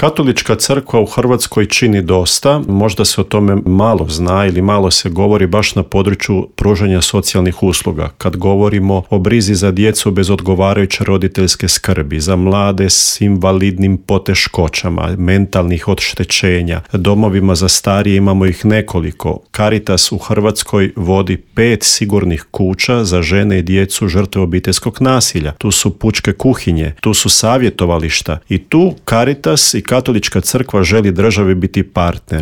Katolička crkva u Hrvatskoj čini dosta, možda se o tome malo zna ili malo se govori baš na području pružanja socijalnih usluga. Kad govorimo o brizi za djecu bez odgovarajuće roditeljske skrbi, za mlade s invalidnim poteškoćama, mentalnih oštećenja, domovima za starije imamo ih nekoliko. Caritas u Hrvatskoj vodi 5 sigurnih kuća za žene i djecu žrtve obiteljskog nasilja. Tu su pučke kuhinje, tu su savjetovališta i tu Caritas i Katolička crkva želi državi biti partner